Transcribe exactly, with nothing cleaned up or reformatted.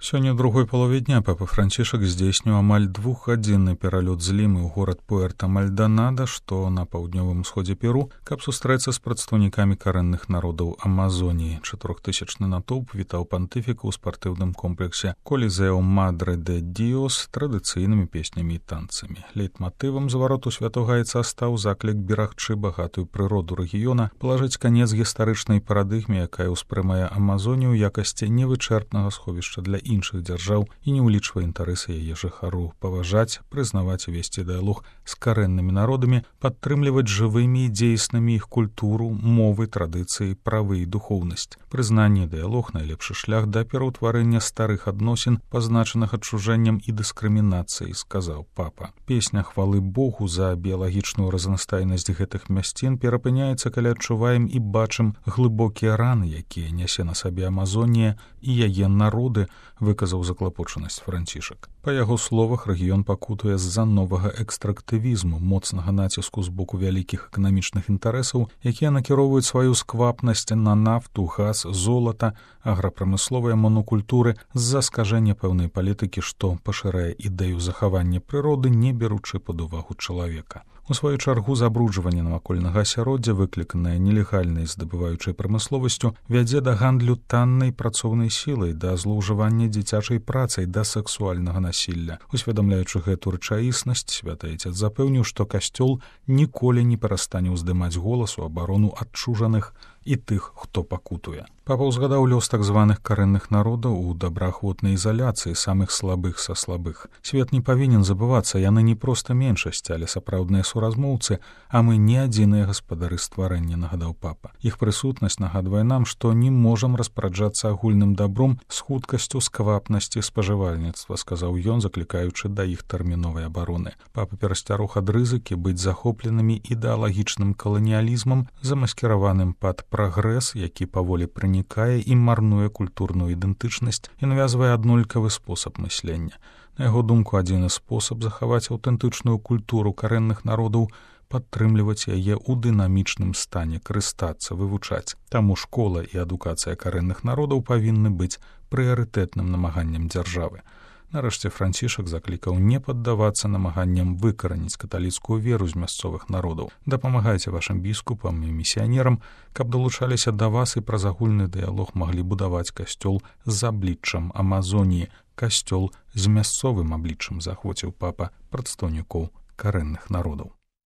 Сёння ў другой палове дня папа Францішак здзейсніў амаль двухгадзінны пералёт з Лімы ў горад Пуэрта-Мальдонада, што на паўднёвым усходзе Перу, каб сустрэцца з прадстаўнікамі карэнных народаў Амазоніі. Чатырохтысячны натоўп вітаў пантыфіка ў спартыўным комплексе Колізеу Мадре де Діос традыцыйнымі песнямі і танцамі. Лейтматывам звароту святога айца стаў заклік берагчы багатую прыроду рэгіёна, палажыць канец гістарычнай парадыгме, якая ўспрымае Амазонію ў якасці невычэрпнага сховішча для іншых дзяржаў і не ўлічвае інтарэсы яе жыхару, паважаць, прызнаваць і весці дыялог з карэннымі народамі, падтрымліваць жывымі і дзейснымі іх культуру, мовы, традыцыі, правы і духоўнасць. Прызнанне і дыялог — найлепшы шлях да пераўтварэння старых адносін, пазначаных адчужэннем і дыскрымінацыяй, сказаў папа. Песня хвалы Богу за біялагічную разнастайнасць гэтых мясцін перапыняецца, калі адчуваем і бачым глыбокія раны, якія нясе на сабе Амазонія і яе народы, выказаў заклапочанасць Францішак. Па яго словах, рэгіён пакутуе з-за новага экстрактывізму, моцнага націску з боку вялікіх эканамічных інтарэсаў, якія накіроўваюць сваю сквапнасць на нафту, газ, золата, аграпрамысловыя монокультуры з-за скажэння пэўнай палітыкі, што пашырае ідэю захавання прыроды, не беручы пад увагу чалавека. У сваю чаргу забруджванне навакольнага асяроддзя, выкліканае нелегальнай здабываючай прамысловасцю, вядзе да гандлю таннай працоўнай сілай, да злоўжывання дзіцячай працай, да сэксуальнага насілля. Усведамляючы гэту рэчаіснасць, святы айцец запэўніў, што касцёл ніколі не перастане ўздымаць голас у абарону адчужаных і тых, хто пакутуе. Папа ўзгадаў лёс так званых карэнных народаў у добраахвотнай ізаляцыі самых слабых са слабых. Свет не павінен забывацца, яны не проста меншасць, але сапраўдныя суразмоўцы, а мы не адзіныя гаспадары стварэння, нагадаў папа. Іх прысутнасць нагадвае нам, што не можам распараджацца агульным дабром з хуткасцю сквапнасці спажывальніцтва, сказаў ён, заклікаючы да іх тэрміновай абароны. Папа перасцярог ад рызыкі быць захопленымі ідэалагічным каланіялізмам, замаскіраваным пад прагрэс, які паволі пранікае і марнуе культурную ідэнтычнасць і навязвае аднолькавы спосаб мыслення. На яго думку, адзіны спосаб захаваць аўтэнтычную культуру карэнных народаў — падтрымліваць яе ў дынамічным стане, карыстацца, вывучаць. Таму школа і адукацыя карэнных народаў павінны быць прыярытэтным намаганнем дзяржавы. Нарэшце Францішак заклікаў не паддавацца намаганням выкараніць каталіцкую веру з мясцовых народаў. Дапамагайце вашым біскупам і місіянерам, каб далучаліся да вас і праз агульны дыялог маглі будаваць касцёл з абліччам Амазоніі, касцёл з мясцовым абліччам, заахвоціў папа прадстаўнікоў карэнных народаў.